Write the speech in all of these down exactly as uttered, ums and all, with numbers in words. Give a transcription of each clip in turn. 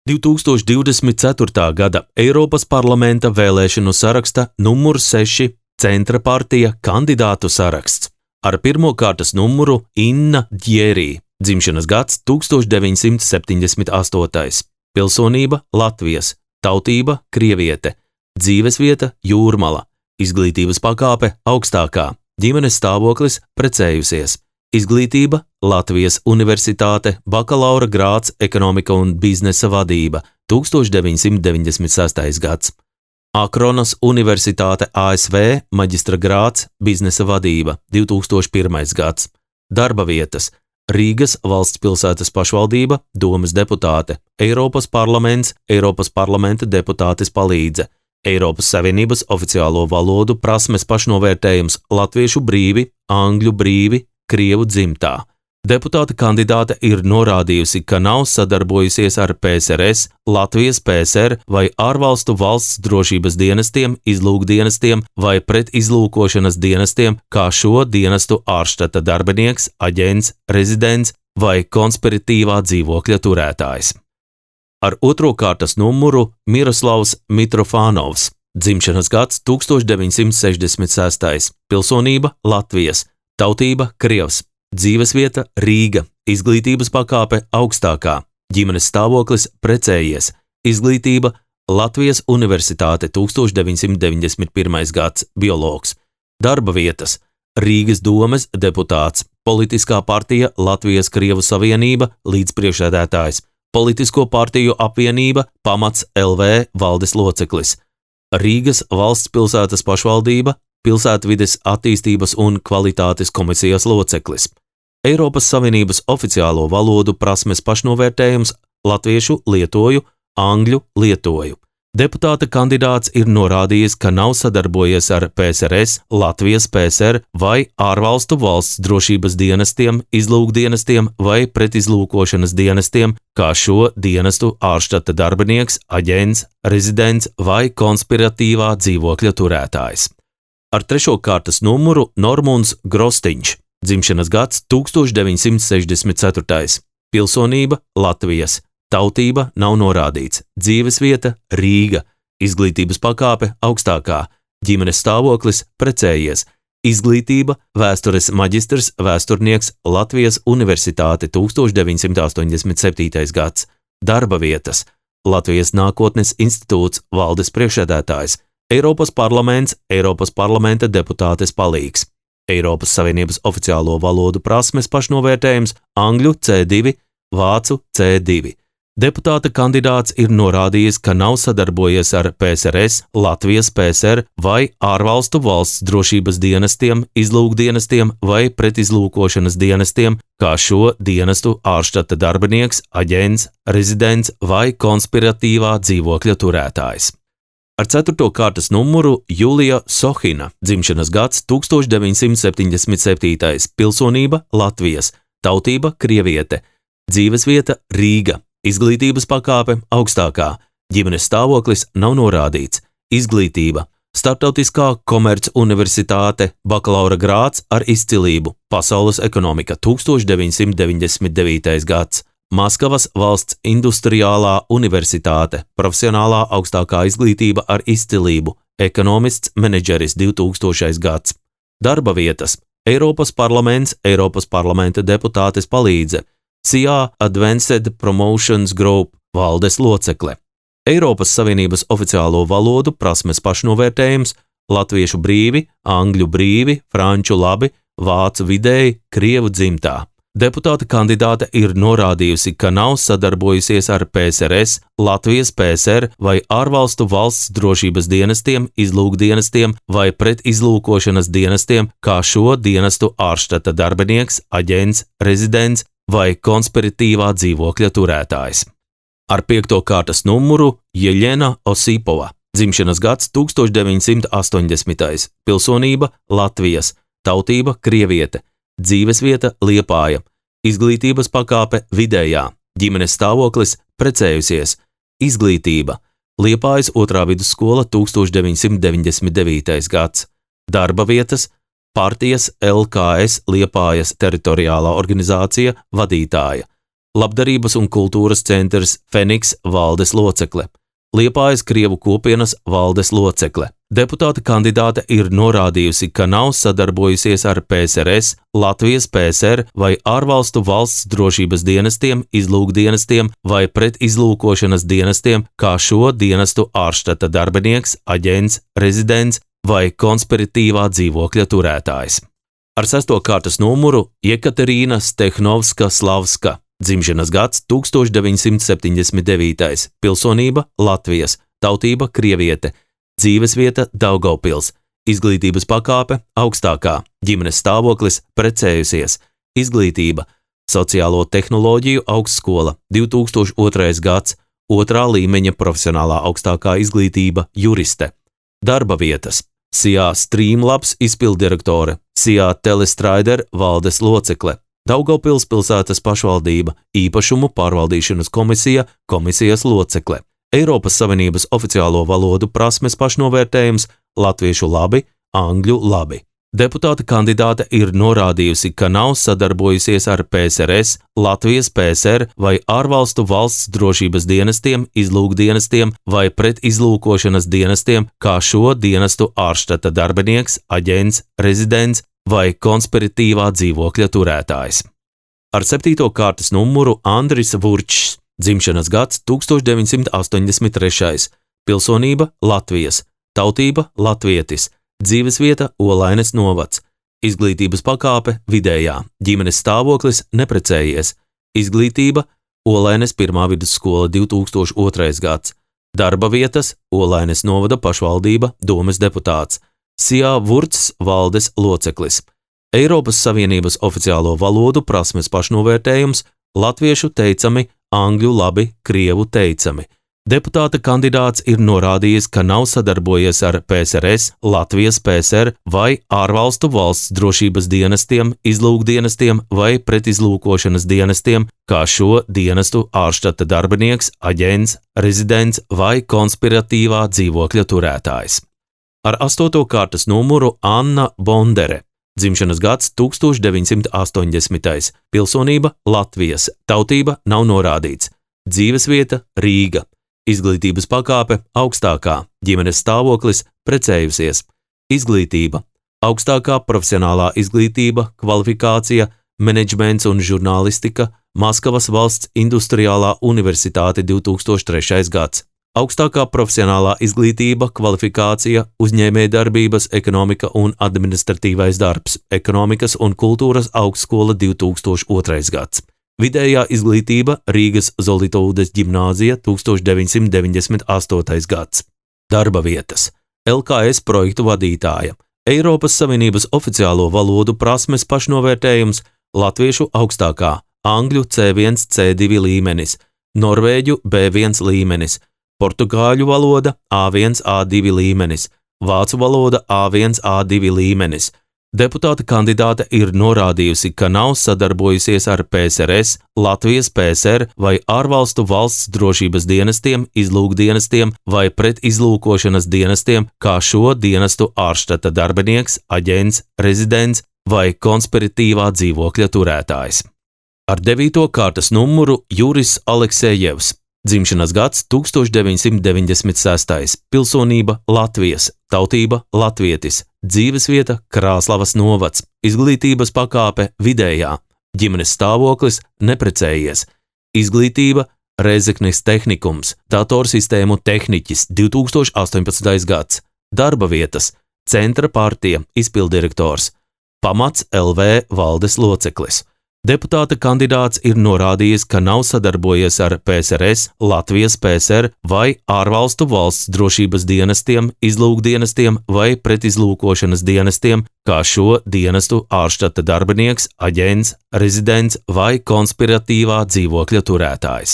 divtūkstoš divdesmit ceturtā gada Eiropas parlamenta vēlēšanu saraksta numur seši Centra partija kandidātu saraksts. Ar pirmo kārtas numuru Inna Djerī, dzimšanas gads tūkstoš deviņsimt septiņdesmit astotais, pilsonība Latvijas, tautība krieviete, dzīvesvieta Jūrmala, izglītības pakāpe augstākā, ģimenes stāvoklis precējusies, izglītība Latvijas Universitāte, bakalaura grāds ekonomika un biznesa vadība, tūkstoš deviņsimt deviņdesmit sestais gads. Akronas Universitāte A S V, maģistra grāds, biznesa vadība, divtūkstoš pirmais gads. Darba vietas Rīgas valsts pilsētas pašvaldība, domes deputāte, Eiropas parlaments, Eiropas parlamenta deputātes palīdze, Eiropas Savienības oficiālo valodu prasmes pašnovērtējums latviešu brīvi, angļu brīvi, krievu dzimtā. Deputāta kandidāte ir norādījusi, ka nav sadarbojusies ar P S R S, Latvijas P S R vai ārvalstu valsts drošības dienestiem, izlūkdienestiem vai pretizlūkošanas dienestiem, kā šo dienestu ārštata darbinieks, aģents, rezidents vai konspiratīvā dzīvokļa turētājs. Ar otro kārtas numuru Miroslavs Mitrofānovs, dzimšanas gads tūkstoš deviņsimt sešdesmit sestais, pilsonība Latvijas, tautība krievs, dzīvesvieta Rīga, izglītības pakāpe augstākā, ģimenes stāvoklis precējies, izglītība Latvijas Universitāte tūkstoš deviņsimt deviņdesmit pirmais gads, biologs, darba vietas Rīgas domes deputāts, politiskā partija Latvijas Krievu Savienība, līdzpriekšsēdētājs, politisko partiju apvienība Pamats L V valdes loceklis, Rīgas valsts pilsētas pašvaldība, Pilsētvides attīstības un kvalitātes komisijas loceklis, Eiropas Savienības oficiālo valodu prasmes pašnovērtējums latviešu lietoju, angļu lietoju. Deputāta kandidāts ir norādījis, ka nav sadarbojies ar P S R S, Latvijas P S R vai ārvalstu valsts drošības dienestiem, izlūkdienestiem vai pretizlūkošanas dienestiem, kā šo dienestu ārštata darbinieks, aģents, rezidents vai konspiratīvā dzīvokļa turētājs. Ar trešo kārtas numuru Normunds Grostiņš, dzimšanas gads tūkstoš deviņsimt sešdesmit ceturtais, pilsonība Latvijas, tautība nav norādīts, dzīvesvieta Rīga, izglītības pakāpe augstākā, ģimenes stāvoklis precējies, izglītība vēstures maģistrs, vēsturnieks Latvijas Universitāte tūkstoš deviņsimt astoņdesmit septītais gads, darba vietas Latvijas nākotnes institūts, valdes priekšsēdētājs, Eiropas parlaments, Eiropas parlamenta deputātes palīgs, Eiropas Savienības oficiālo valodu prasmes pašnovērtējums angļu C divi, vācu C divi. Deputāta kandidāts ir norādījis, ka nav sadarbojies ar P S R S, Latvijas P S R vai ārvalstu valsts drošības dienestiem, izlūkdienestiem vai pretizlūkošanas dienestiem, kā šo dienestu ārštata darbinieks, aģents, rezidents vai konspiratīvā dzīvokļa turētājs. Ar ceturto kārtas numuru Julija Sohina, dzimšanas gads tūkstoš deviņsimt septiņdesmit septītais, pilsonība Latvijas, tautība krieviete, dzīvesvieta Rīga, izglītības pakāpe augstākā, ģimenes stāvoklis nav norādīts, izglītība Startautiskā komerc universitāte, bakalaura grāds ar izcilību, pasaules ekonomika tūkstoš deviņsimt deviņdesmit devītais gads, Maskavas valsts industriālā universitāte, profesionālā augstākā izglītība ar izcilību, ekonomists, menedžeris divtūkstošais gads. Darba vietas Eiropas parlaments, Eiropas parlamenta deputātes palīdze, C I A Advanced Promotions Group, valdes locekle. Eiropas Savienības oficiālo valodu prasmes pašnovērtējums latviešu brīvi, angļu brīvi, franču labi, vācu vidēji, krievu dzimtā. Deputāta kandidāte ir norādījusi, ka nav sadarbojusies ar P S R S, Latvijas P S R vai ārvalstu valsts drošības dienestiem, izlūkdienestiem vai pretizlūkošanas dienestiem, kā šo dienestu ārštata darbinieks, aģents, rezidents vai konspiratīvā dzīvokļa turētājs. Ar piekto kārtas numuru Jeļena Osipova, dzimšanas gads tūkstoš deviņsimt astoņdesmitais, pilsonība Latvijas, tautība krieviete, dzīvesvieta Liepāja, izglītības pakāpe vidējā, ģimenes stāvoklis precējusies, izglītība Liepājas otrā vidusskola tūkstoš deviņsimt deviņdesmit devītais gads, darba vietas partijas L K S Liepājas teritoriālā organizācija vadītāja, Labdarības un kultūras centrs Feniks valdes locekle, Liepājas Krievu kopienas valdes locekle. Deputāta kandidāte ir norādījusi, ka nav sadarbojusies ar P S R S, Latvijas P S R vai ārvalstu valsts drošības dienestiem, izlūkdienestiem vai pretizlūkošanas dienestiem, kā šo dienestu ārštata darbinieks, aģents, rezidents vai konspiratīvā dzīvokļa turētājs. Ar sesto kārtas numuru Jekaterīna Stehnovska-Slavska, dzimšanas gads tūkstoš deviņsimt septiņdesmit devītais, pilsonība Latvijas, tautība krieviete, dzīvesvieta Daugavpils, izglītības pakāpe augstākā, ģimenes stāvoklis precējusies, izglītība sociālo tehnoloģiju augstskola, divi tūkstoši otrais gads, otrā līmeņa profesionālā augstākā izglītība juriste, darba vietas S I A Streamlabs izpilddirektore, S I A Telestrider valdes locekle, Daugavpils pilsētas pašvaldība, īpašumu pārvaldīšanas komisija, komisijas locekle, Eiropas Savienības oficiālo valodu prasmes pašnovērtējums, latviešu labi, angļu labi. Deputāta kandidāte ir norādījusi, ka nav sadarbojusies ar P S R S, Latvijas P S R vai ārvalstu valsts drošības dienestiem, izlūkdienestiem vai pretizlūkošanas dienestiem, kā šo dienestu ārštata darbinieks, aģents, rezidents vai konspiratīvā dzīvokļa turētājs. Ar septīto kārtas numuru Andris Vurčs, dzimšanas gads tūkstoš deviņsimt astoņdesmit trešais, pilsonība Latvijas, tautība latvietis, dzīvesvieta Olaines novads, izglītības pakāpe vidējā, ģimenes stāvoklis neprecējies, izglītība Olaines pirmā vidusskola divi tūkstoši otrais gads, darba vietas Olaines novada pašvaldība, domes deputāts, S I A Vurčs valdes loceklis, Eiropas Savienības oficiālo valodu prasmes pašnovērtējums, latviešu teicami, angļu labi, krievu teicami. Deputāta kandidāts ir norādījis, ka nav sadarbojies ar P S R S, Latvijas P S R vai ārvalstu valsts drošības dienestiem, izlūkdienestiem vai pretizlūkošanas dienestiem, kā šo dienestu ārštata darbinieks, aģents, rezidents vai konspiratīvā dzīvokļa turētājs. Ar astoto kārtas numuru Anna Bondere, dzimšanas gads tūkstoš deviņsimt astoņdesmitais, pilsonība Latvijas, tautība nav norādīts, dzīvesvieta Rīga, izglītības pakāpe augstākā, ģimenes stāvoklis precējusies, izglītība, augstākā profesionālā izglītība, kvalifikācija, menedžments un žurnālistika, Maskavas valsts industriālā universitāte divi tūkstoši trešais gads. Augstākā profesionālā izglītība, kvalifikācija, uzņēmējdarbības, ekonomika un administratīvais darbs, ekonomikas un kultūras augstskola divi tūkstoši otrais gads. Vidējā izglītība Rīgas Zolitūdes ģimnāzija tūkstoš deviņsimt deviņdesmit astotais gads. Darba vietas L K S projektu vadītāja, Eiropas Savienības oficiālo valodu prasmes pašnovērtējums, latviešu augstākā, angļu C viens C divi līmenis, norvēģu B viens līmenis, portugāļu valoda A viens A divi līmenis, vācu valoda A viens A divi līmenis. Deputāta kandidāte ir norādījusi, ka nav sadarbojusies ar P S R S, Latvijas P S R vai ārvalstu valsts drošības dienestiem, izlūkdienestiem vai pretizlūkošanas dienestiem, kā šo dienestu ārštata darbinieks, aģents, rezidents vai konspiratīvā dzīvokļa turētājs. Ar devīto kārtas numuru Juris Aleksejevs, dzimšanas gads tūkstoš deviņsimt deviņdesmit sestais, pilsonība Latvijas, tautība latvietis, dzīvesvieta Krāslavas novads, izglītības pakāpe vidējā, ģimenes stāvoklis neprecējies, izglītība Rēzeknes tehnikums, datorsistēmu tehniķis divi tūkstoši astoņpadsmitais gads, darba vietas Centra partija izpilddirektors, Pamats L V valdes loceklis. Deputāta kandidāts ir norādījis, ka nav sadarbojies ar P S R S, Latvijas P S R vai ārvalstu valsts drošības dienestiem, izlūkdienestiem vai pretizlūkošanas dienestiem, kā šo dienestu ārštata darbinieks, aģents, rezidents vai konspiratīvā dzīvokļa turētājs.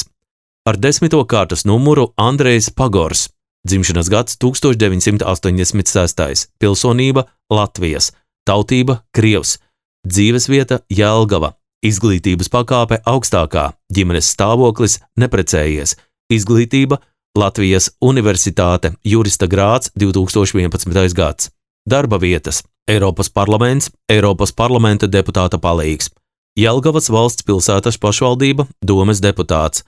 Ar desmito kārtas numuru Andrejs Pagors, dzimšanas gads tūkstoš deviņsimt astoņdesmit sestais, pilsonība Latvijas, tautība krievs, dzīvesvieta Jelgava, izglītības pakāpe augstākā, ģimenes stāvoklis neprecējies, izglītība Latvijas Universitāte, jurista grāds divi tūkstoši vienpadsmitais gads, darba vietas Eiropas parlaments, Eiropas parlamenta deputāta palīgs, Jelgavas valsts pilsētas pašvaldība, domes deputāts,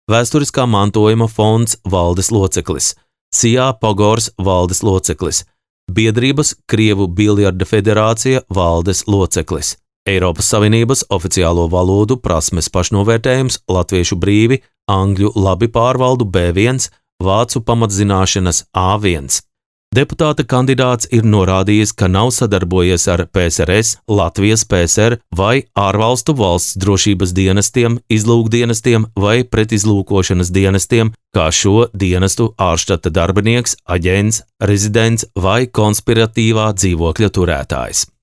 Vēsturiskā mantojuma fonds valdes loceklis, Sijā Pogors valdes loceklis, Biedrības Krievu biljarda federācija valdes loceklis, Eiropas Savienības oficiālo valodu prasmes pašnovērtējums latviešu brīvi, angļu labi pārvaldu B viens, vācu pamatzināšanas A viens. Deputāta kandidāts ir norādījis, ka nav sadarbojies ar P S R S, Latvijas P S R vai ārvalstu valsts drošības dienestiem, izlūkdienestiem vai pretizlūkošanas dienestiem, kā šo dienestu ārštata darbinieks, aģents, rezidents vai konspiratīvā dzīvokļa turētājs.